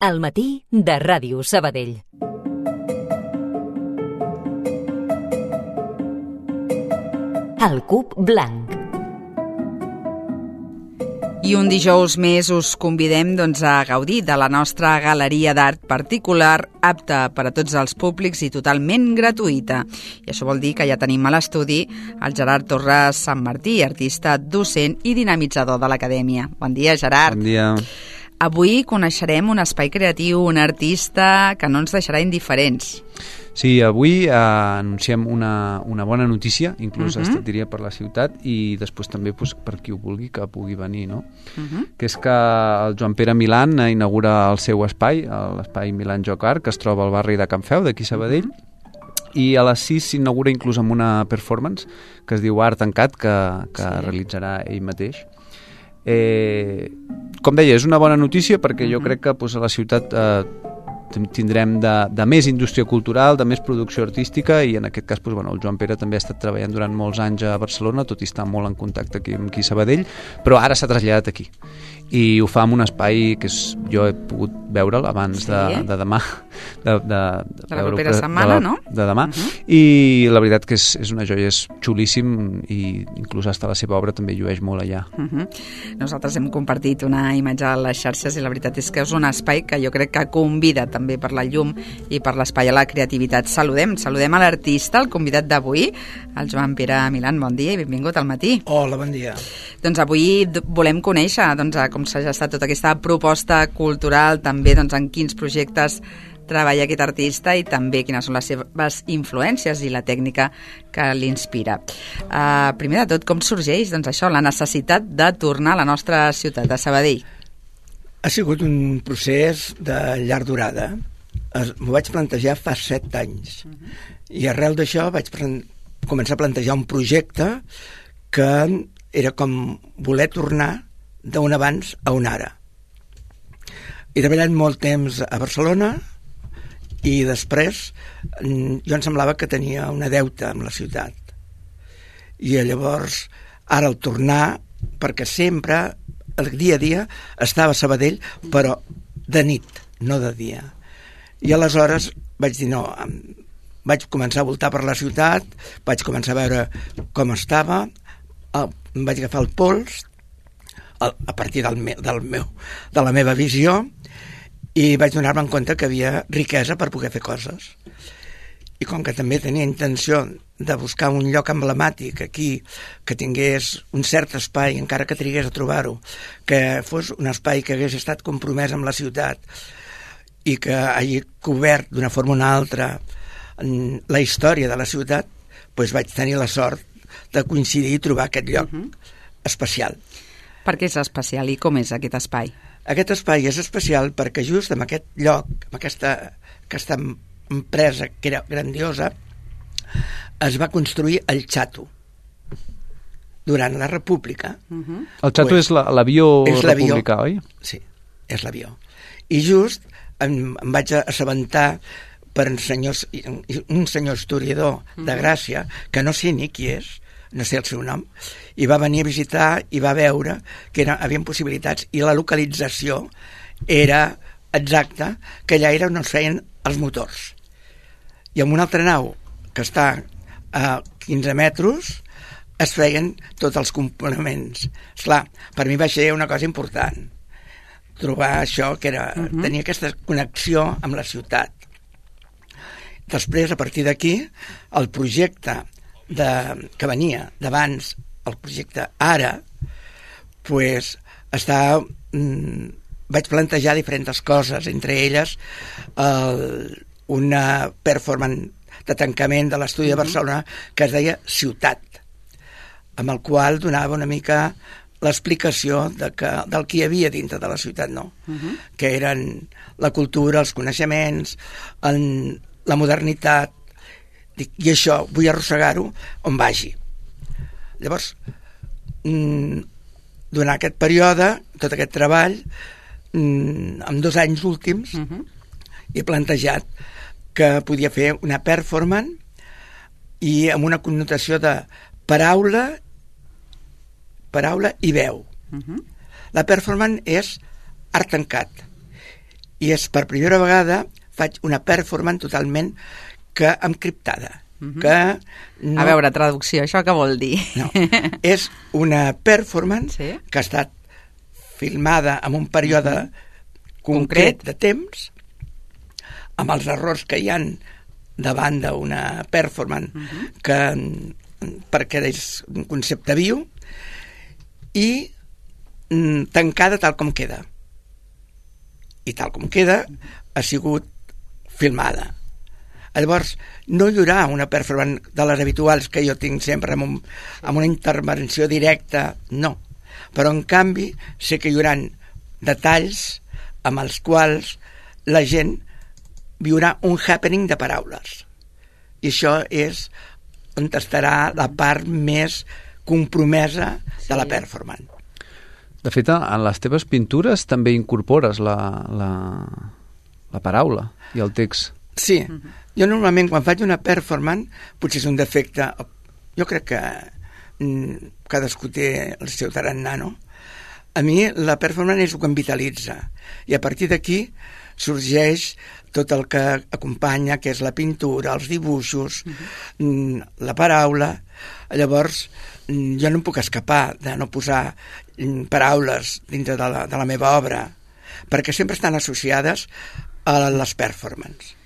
Al matí de Ràdio Sabadell. El Cub Blanc. I un dijous més us convidem a gaudir de la nostra galeria d'art particular, apta per a tots els públics i totalment gratuïta. I això vol dir que ja tenim a l'estudi el Gerard Torres Sant Martí, artista, docent i dinamitzador de l'Acadèmia. Bon dia, Gerard. Bon dia. Avui coneixerem un espai creatiu, un artista que no ens deixarà indiferents. Sí, avui anunciem una bona notícia, inclús diria per la ciutat, i després també per qui ho vulgui que pugui venir, no? Que és que el Joan Pere Milán inaugura el seu espai, l'espai Milán Joc Art, que es troba al barri de Can Feu, d'aquí Sabadell, i a les 6 s'inaugura inclús amb una performance que es diu Art Tancat, que realitzarà ell mateix. Com deia, és una bona notícia perquè jo crec que a la ciutat tindrem de més indústria cultural, de més producció artística, i en aquest cas el Joan Pere també ha estat treballant durant molts anys a Barcelona, tot i estar molt en contacte aquí amb Sabadell, però ara s'ha traslladat aquí i ho fa en un espai que jo he pogut veure'l abans de demà, de la propera setmana, no? De demà, i la veritat que és una joia, és xulíssim, i inclús hasta la seva obra també llueix molt allà. Nosaltres hem compartit una imatge a les xarxes i la veritat és que és un espai que jo crec que convida també per la llum i per l'espai a la creativitat. Saludem a l'artista, el convidat d'avui, el Joan Pere Milán. Bon dia i benvingut al matí. Hola, bon dia. Doncs avui volem conèixer com s'ha gestat tota aquesta proposta cultural, també en quins projectes treballa aquest artista i també quines són les seves influències i la tècnica que l'inspira. Primer de tot, com sorgeix la necessitat de tornar a la nostra ciutat, a Sabadell? Ha sigut un procés de llarga durada. M'ho vaig plantejar fa 7 anys. I arrel d'això vaig començar a plantejar un projecte que era com voler tornar d'un abans a un ara. He treballat molt temps a Barcelona i després jo em semblava que tenia una deuta amb la ciutat. I llavors, ara al tornar, perquè sempre el dia a dia estava a Sabadell, però de nit, no de dia. I aleshores vaig dir no, vaig començar a voltar per la ciutat, vaig començar a veure com estava, em vaig agafar el pols a partir de la meva visió, i vaig donar-me en compte que havia riquesa per poder fer coses. I com que també tenia intenció de buscar un lloc emblemàtic aquí, que tingués un cert espai, encara que trigués a trobar-ho, que fos un espai que hagués estat compromès amb la ciutat i que hagi cobert d'una forma o una altra la història de la ciutat, doncs vaig tenir la sort de coincidir i trobar aquest lloc especial. Per què és especial i com és aquest espai? Aquest espai és especial perquè just en aquest lloc, amb aquesta empresa que era grandiosa, es va construir el Xato durant la República. El Xato és l'avió republicà, oi? Sí, és l'avió. I just em vaig assabentar per un senyor historiador de Gràcia, que no sé ni qui és, no sé el seu nom, i va venir a visitar i va veure que havia possibilitats, i la localització era exacta, que allà era on es feien els motors. I amb una altra nau que està a 15 metres es feien tots els components. Esclar, per mi va ser una cosa important trobar això, que era tenir aquesta connexió amb la ciutat. Després, a partir d'aquí, el projecte que venia d'abans, el projecte ara, vaig plantejar diferents coses, entre elles una performance de tancament de l'estudi de Barcelona que es deia Ciutat, amb el qual donava una mica l'explicació del que hi havia dintre de la ciutat, que eren la cultura, els coneixements, la modernitat, i això vull arrossegar-ho on vagi. Llavors, durant aquest període, tot aquest treball, en 2 anys últims, he plantejat que podia fer una performance i amb una connotació de paraula i veu. La performance és art tancat I és per primera vegada faig una performance totalment que encriptada. Que no... A veure, traducció, això què vol dir? No, és una performance Sí. que ha estat filmada en un període concret de temps, amb els errors que hi han davant d'una performance perquè és un concepte viu i tancada tal com queda. I tal com queda ha sigut filmada. Llavors, no hi haurà una performance de les habituals que jo tinc sempre amb una intervenció directa, no. Però, en canvi, sé que hi haurà detalls amb els quals la gent viurà un happening de paraules. I això és on estarà la part més compromesa de la performance. De fet, en les teves pintures també incorpores la paraula i el text. Sí. Jo normalment quan faig una performance, potser és un defecte, jo crec que cadascú té el seu tarannà, no? A mi la performance és el que em vitalitza i a partir d'aquí sorgeix tot el que acompanya, que és la pintura, els dibuixos, la paraula. Llavors, jo no em puc escapar de no posar paraules dintre de la meva obra, perquè sempre estan associades a les performances.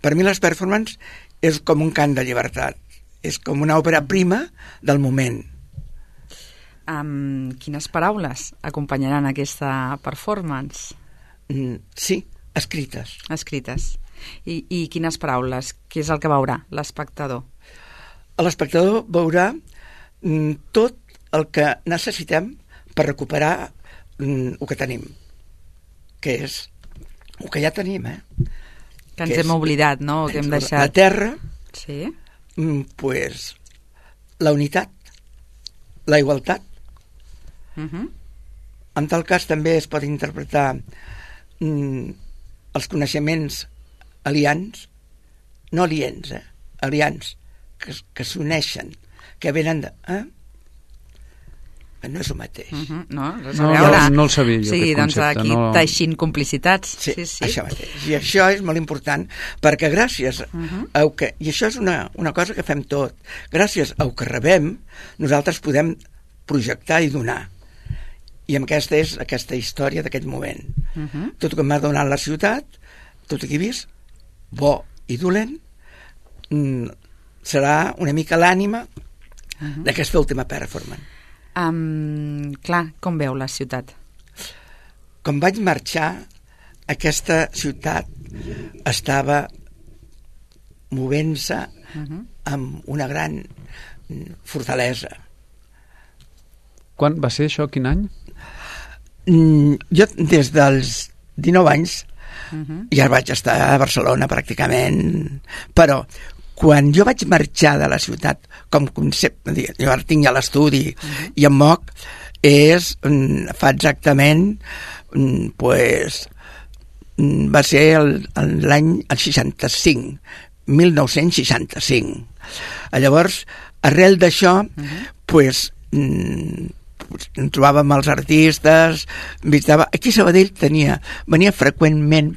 Per mi les performances és com un cant de llibertat, és com una òpera prima del moment. Quines paraules acompanyaran aquesta performance? Sí, escrites. Escrites. I quines paraules? Què és el que veurà l'espectador? L'espectador veurà tot el que necessitem per recuperar el que tenim, que és el que ja tenim, que ens hem oblidat, no? Que hem deixat... La terra, sí. Pues, la unitat, la igualtat. En tal cas també es pot interpretar els coneixements aliens, no aliens, aliens, que s'uneixen, que venen de... No és el mateix. No el sabia jo, sí, aquest doncs concepte. aquí teixint complicitats. Sí, això mateix. I això és molt important, perquè gràcies a que... I això és una cosa que fem tot. Gràcies a que rebem, nosaltres podem projectar i donar. I aquesta és aquesta història d'aquest moment. Tot el que m'ha donat la ciutat, tot el que he vist, bo i dolent, serà una mica l'ànima d'aquesta última performance. Clar, com veu la ciutat? Quan vaig marxar, aquesta ciutat estava movent-se amb una gran fortalesa. Quan va ser això? Quin any? Jo des dels 19 anys ja vaig estar a Barcelona pràcticament, però quan jo vaig marxar de la ciutat com concepte, jo ara tinc ja l'estudi i em moc, fa exactament va ser l'any 65, 1965. Llavors, arrel d'això, em trobava amb els artistes, visitava... Aquí a Sabadell venia freqüentment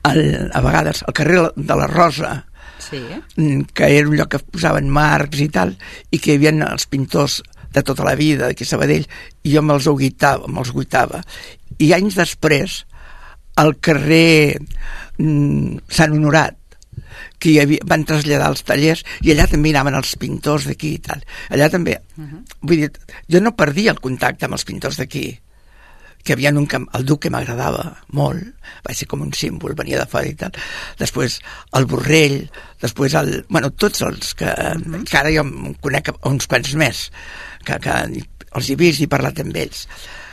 a vegades al carrer de la Rosa, sí, que era un lloc que posaven marcs i tal, i que hi havia els pintors de tota la vida aquí a Sabadell, i jo me'ls guitava. I anys després, al carrer Sant Honorat, que van traslladar els tallers, i allà també anaven els pintors d'aquí i tal. Allà també, vull dir, jo no perdia el contacte amb els pintors d'aquí, que havia el Duc, que m'agradava molt, va ser com un símbol, venia de fora i tal. Després el Borrell, després tots els que ara jo em conec uns quants més, que els he vist i he parlat amb ells.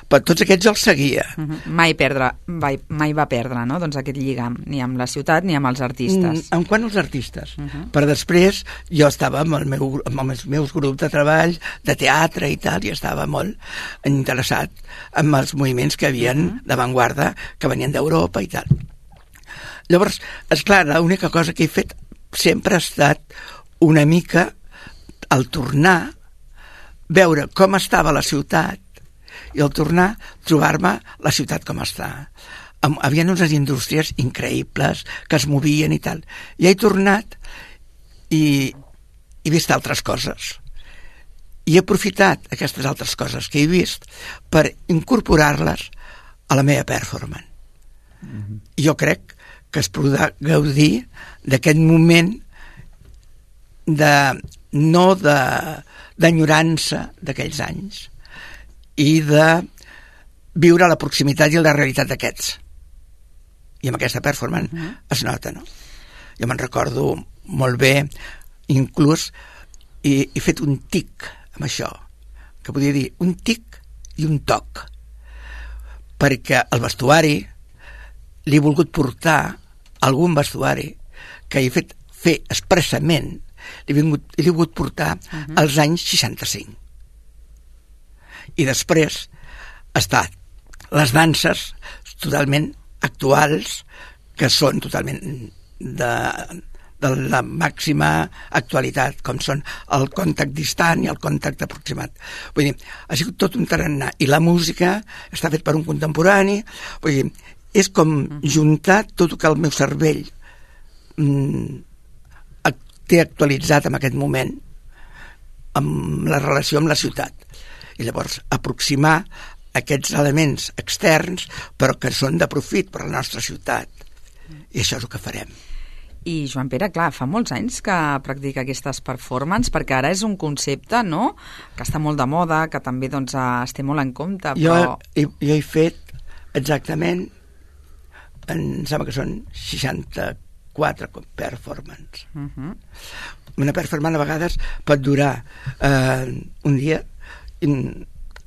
Però tots aquests els seguia. Mai va perdre, no? Doncs aquest lligam, ni amb la ciutat ni amb els artistes. En quant als artistes? Però després jo estava amb els meus grups de treball, de teatre i tal, i estava molt interessat en els moviments que havien d'avantguarda, que venien d'Europa i tal. Llavors, esclar, l'única cosa que he fet sempre ha estat una mica al tornar, veure com estava la ciutat, i al tornar trobar-me la ciutat com està. havia unes indústries increïbles que es movien i tal. I he tornat i he vist altres coses. I he aprofitat aquestes altres coses que he vist per incorporar-les a la meva performance. Jo crec que es podrà gaudir d'aquest moment d'enyorança d'aquells anys i de viure la proximitat i la realitat d'aquests. I amb aquesta performance es nota, no? Jo me'n recordo molt bé, inclús he fet un tic amb això, que podia dir un tic i un toc, perquè el vestuari li he volgut portar algun vestuari que he fet fer expressament, li he volgut portar als anys 65. I després estat les danses totalment actuals, que són totalment de la màxima actualitat, com són el contact distant i el contact aproximat. Vull dir, ha sigut tot un tarannà. I la música està fet per un contemporani. Vull dir, és com juntar tot el que el meu cervell té actualitzat en aquest moment amb la relació amb la ciutat. I llavors aproximar aquests elements externs però que són de profit per a la nostra ciutat. I això és el que farem. I Joan Pere, clar, fa molts anys que practica aquestes performances, perquè ara és un concepte, no?, que està molt de moda, que també doncs, es té molt en compte, però... Jo he fet exactament, em sembla que són 64 performances. Una performance a vegades pot durar un dia,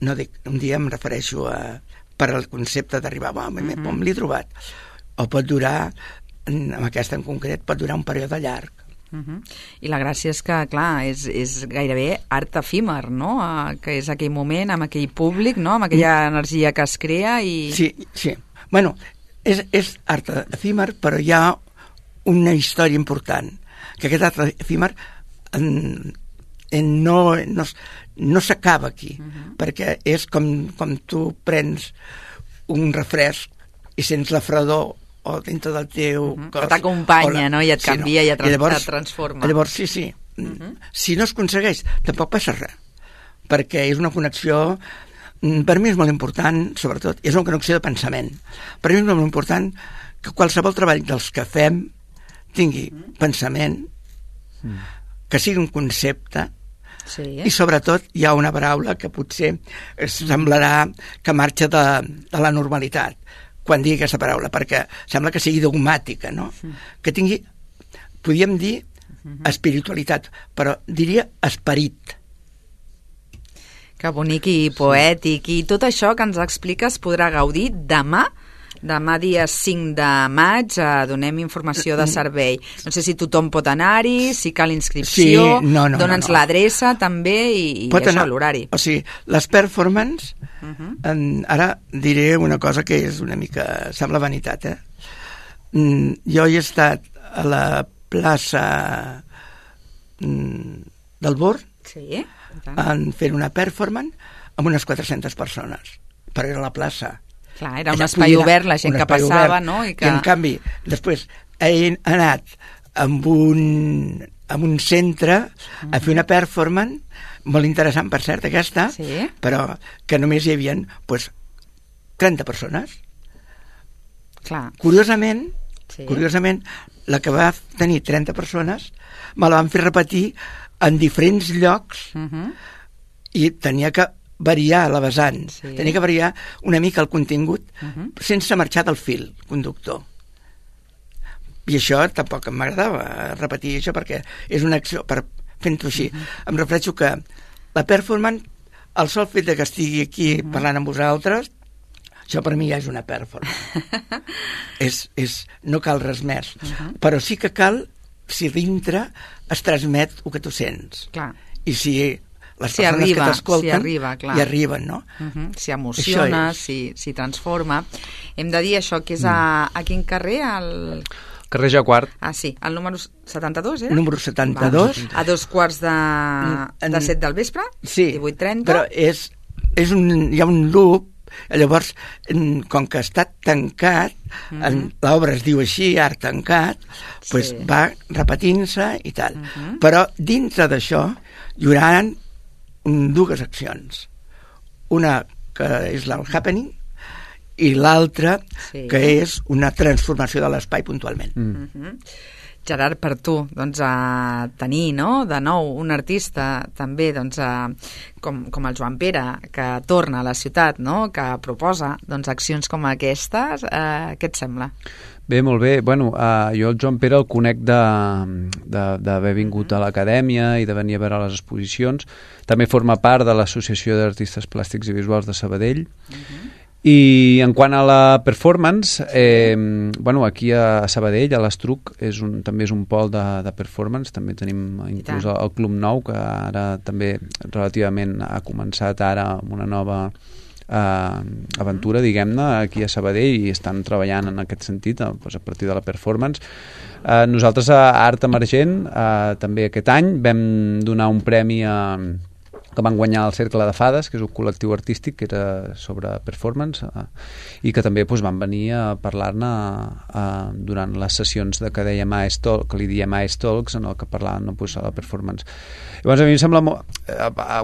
no dic un dia, em refereixo per al concepte d'arribar, on l'he trobat, o pot durar, amb aquesta en concret, pot durar un període llarg. I la gràcia és que, clar, és gairebé art efímer, no?, que és aquell moment, amb aquell públic, no?, amb aquella energia que es crea i... Sí. Bueno, és art efímer, però hi ha una història important, que aquest art efímer no s'acaba aquí, perquè és com tu prens un refresc i sents la fredor o dintre del teu cos. Que t'acompanya, no?, i et canvia, i et transforma. Llavors, sí. Si no es aconsegueix, tampoc passa res, perquè és una connexió, per mi és molt important, sobretot, és una connexió de pensament. Per mi és molt important que qualsevol treball dels que fem tingui pensament, que sigui un concepte, i sobretot hi ha una paraula que potser semblarà que marxa de la normalitat quan digui aquesta paraula, perquè sembla que sigui dogmàtica, no? Que tingui, podríem dir, espiritualitat, però diria esperit. Que bonic i poètic. I tot això que ens expliques podrà gaudir demà dia 5 de maig, donem informació de servei. No sé si tothom pot anar-hi, si cal inscripció, dona'ns l'adreça també i això, l'horari. O sigui, les performances, ara diré una cosa que és una mica, sembla vanitat, jo he estat a la plaça del Born fent una performance amb unes 400 persones, però era la plaça. Clar, era un espai obert, la gent que passava, no? I en canvi, després he anat amb un centre a fer una performance molt interessant, per cert, aquesta, però que només hi havia 30 persones. Clar. Curiosament, la que va tenir 30 persones me la van fer repetir en diferents llocs i tenia que variar la vessant, tenia que variar una mica el contingut sense marxar del fil conductor. I això tampoc m'agradava repetir això, perquè és una acció fent-ho així. Em refereixo que la performance, el sol fet que estigui aquí parlant amb vosaltres, això per mi ja és una performance. No cal res més, però sí que cal si dintre es transmet el que tu sents. Clar. I si les persones que t'escolten hi arriben, no? Si emociona, si transforma. Hem de dir això, que és a quin carrer? Carrer Jacquard. Ah, sí, el número 72, eh? Número 72. A 2:15 de 7 del vespre, sí, 18:30. Però hi ha un loop Llavors, com que està tancat, l'obra es diu així, art tancat, pues va repetint-se i tal. Però dintre d'això hi haurà dues accions. Una que és el happening i l'altra que és una transformació de l'espai puntualment. Gerard, per tu, doncs, tenir, no?, de nou un artista també, doncs, com el Joan Pere, que torna a la ciutat, no?, que proposa, doncs, accions com aquestes, què et sembla? Bé, molt bé. Bueno, jo el Joan Pere el conec d'haver vingut a l'acadèmia i de venir a veure les exposicions. També forma part de l'Associació d'Artistes Plàstics i Visuals de Sabadell. I en quant a la performance, bueno, aquí a Sabadell, a l'Estruc, també és un pol de performance, també tenim inclús el Club Nou, que ara també relativament ha començat ara amb una nova aventura, diguem-ne, aquí a Sabadell, i estan treballant en aquest sentit, doncs, a partir de la performance. Nosaltres a Art Emergent, també aquest any, vam donar un premi que van guanyar el Cercle de Fades, que és un col·lectiu artístic que era sobre performance, i que també van venir a parlar-ne durant les sessions que dèiem que li diem AES Talks, en el que parlàvem de la performance. Llavors, a mi em sembla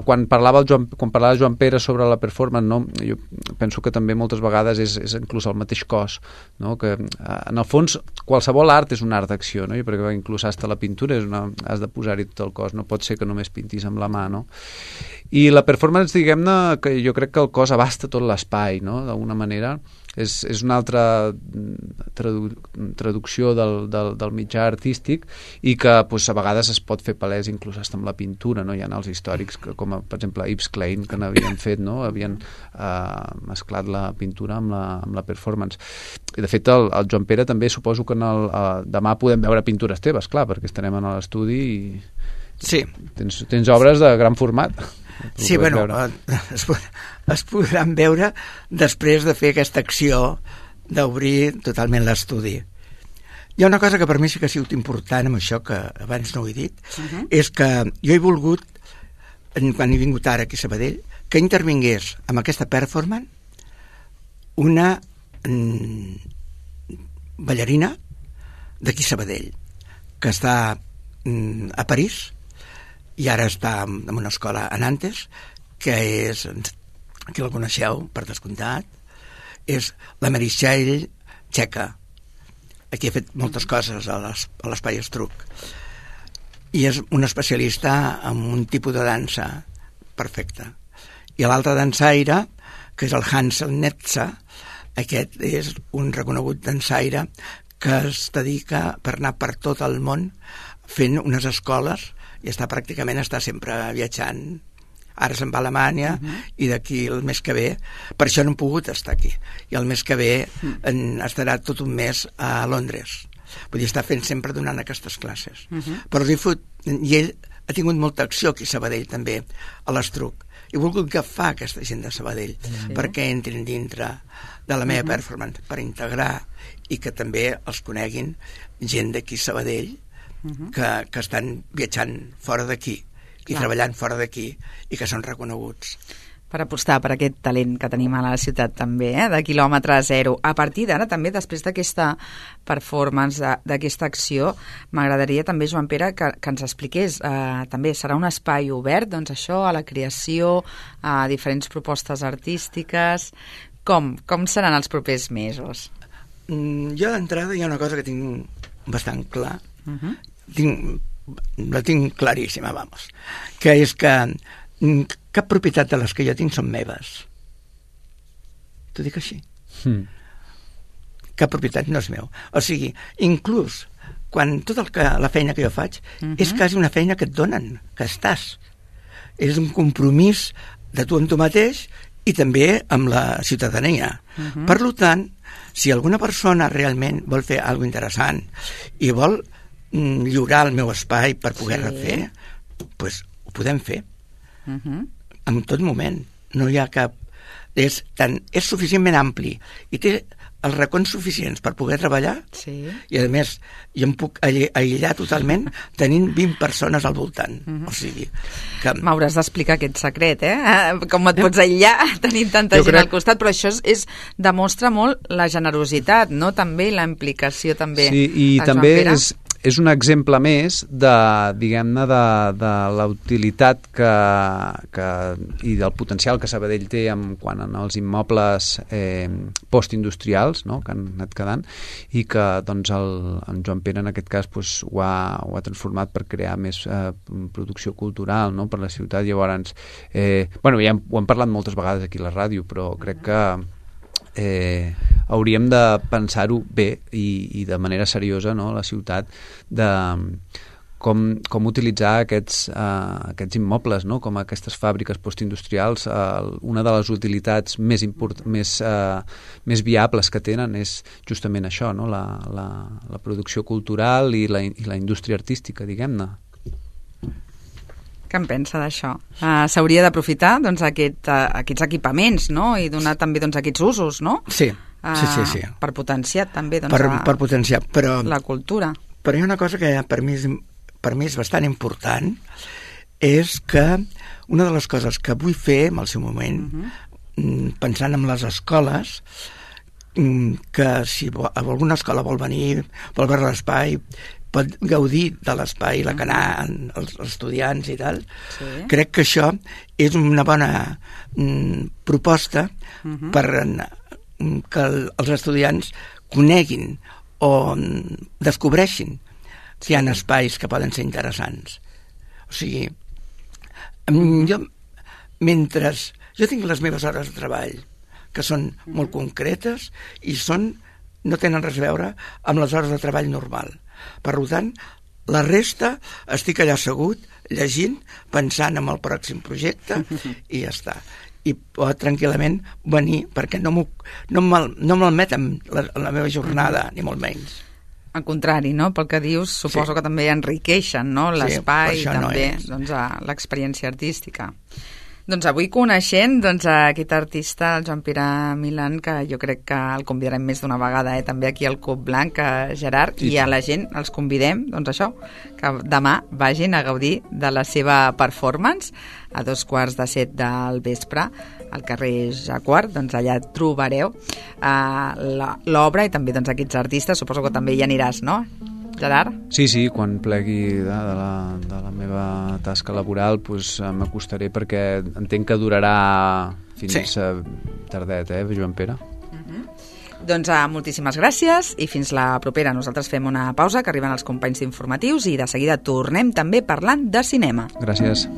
quan parlava Joan Pere sobre la performance, no? Jo penso que també moltes vegades és inclús el mateix cos, no? Que en el fons qualsevol art és un art d'acció, no? Perquè inclús hasta la pintura has de posar-hi tot el cos, no pot ser que només pintis amb la mà, no? I la performance, diguem-ne, que jo crec que el cos abasta tot l'espai, no? D'alguna manera és una altra traducció del mitjà artístic, i que doncs, a vegades es pot fer palès inclús fins amb la pintura, no? Hi ha els històrics com per exemple Yves Klein, que n'havien fet, no? Havien mesclat la pintura amb la performance. I de fet el Joan Pere també suposo que demà podem veure pintures teves, clar, perquè estarem en l'estudi i tens obres de gran format. Sí, bueno, es podran veure després de fer aquesta acció d'obrir totalment l'estudi. Hi ha una cosa que per mi sí que ha sigut important amb això, que abans no ho he dit, és que jo he volgut, quan he vingut ara aquí a Sabadell, que intervingués amb aquesta performance una ballarina d'aquí a Sabadell, que està a París, i ara està en una escola a Nantes, que és, aquí la coneixeu, per descomptat, és la Meritxell Txeca. Aquí ha fet moltes coses a l'Espai Estruc. I és una especialista en un tipus de dansa perfecta. I l'altre dansaire, que és el Hansel Netza, aquest és un reconegut dansaire que es dedica per anar per tot el món fent unes escoles, i està sempre viatjant. Ara se'n va a Alemanya i d'aquí el mes que ve, per això no hem pogut estar aquí, i el mes que ve estarà tot un mes a Londres. Vull dir, està fent sempre donant aquestes classes. Però i ell ha tingut molta acció aquí a Sabadell també, a l'Estruc. He volgut agafar aquesta gent de Sabadell perquè entrin dintre de la meva performance, per integrar i que també els coneguin gent d'aquí a Sabadell que estan viatjant fora d'aquí i treballant fora d'aquí i que són reconeguts. Per apostar per aquest talent que tenim a la ciutat també, de quilòmetre zero. A partir d'ara també, després d'aquesta performance, d'aquesta acció, m'agradaria també, Joan Pere, que ens expliqués, també serà un espai obert, doncs això, a la creació, a diferents propostes artístiques. Com seran els propers mesos? Jo d'entrada hi ha una cosa que tinc bastant clar, la tinc claríssima, vamos, que és que cap propietat de les que jo tinc són meves. T'ho dic així. Cap propietat no és meu. O sigui, inclús quan tota la feina que jo faig és quasi una feina que et donen, que estàs. És un compromís de tu amb tu mateix i també amb la ciutadania. Per tant, si alguna persona realment vol fer alguna interessant i vol lliurar el meu espai per poder refer, doncs ho podem fer. En tot moment. No hi ha cap... És suficientment ampli i té els racons suficients per poder treballar, Sí. i a més jo em puc aïllar totalment tenint 20 persones al voltant. O sigui que... M'hauràs d'explicar aquest secret, com et pots aïllar tenint tanta gent al costat, però això demostra molt la generositat, no? També la implicació també. Sí, i també és un exemple més de, diguem-ne, de la utilitat i del potencial que Sabadell té quant als immobles postindustrials, no?, que han anat quedant, i que doncs, en Joan Pere en aquest cas doncs, ho ha transformat per crear més producció cultural, no?, per la ciutat. Llavors, ja ho hem parlat moltes vegades aquí a la ràdio, però crec que hauríem de pensar-ho bé i de manera seriosa, no?, a la ciutat, de com utilitzar aquests immobles, no?, com aquestes fàbriques postindustrials. Una de les utilitats més viables que tenen és justament això, no?, la producció cultural i la indústria artística, diguem-ne. Què en pensa d'això? S'hauria d'aprofitar doncs, aquests equipaments, no?, i donar també doncs, aquests usos, no? Sí. Per potenciar també doncs, per potenciar, però la cultura. Però hi ha una cosa que per mi és bastant important, és que una de les coses que vull fer en el seu moment, pensant en les escoles, que si alguna escola vol venir, vol veure l'espai, pot gaudir de l'espai, la que anar els estudiants i tal. Sí. Crec que això és una bona proposta per que els estudiants coneguin o descobreixin que hi ha espais que poden ser interessants. O sigui, jo tinc les meves hores de treball, que són molt concretes i no tenen res a veure amb les hores de treball normal. Per tant, la resta estic allà assegut, llegint, pensant en el pròxim projecte i ja està. I pot tranquil·lament venir, perquè no malmeten la meva jornada, ni molt menys. Al contrari, no? Pel que dius, suposo que també enriqueixen, no?, l'espai i també l'experiència artística. Doncs avui coneixent aquest artista, el Joan Pere Milán, que jo crec que el convidarem més d'una vegada també aquí al Cup Blanc, Gerard, i a la gent els convidem, doncs això, que demà vagin a gaudir de la seva performance a 6:45 del vespre al carrer Jacquard. Doncs allà trobareu l'obra i també doncs, aquests artistes. Suposo que també hi aniràs, no, Gerard? Sí, quan plegui de la meva tasca laboral m'acostaré, perquè entenc que durarà fins tardet, Joan Pere? Doncs moltíssimes gràcies i fins la propera. Nosaltres fem una pausa, que arriben els companys d'informatius, i de seguida tornem també parlant de cinema. Gràcies.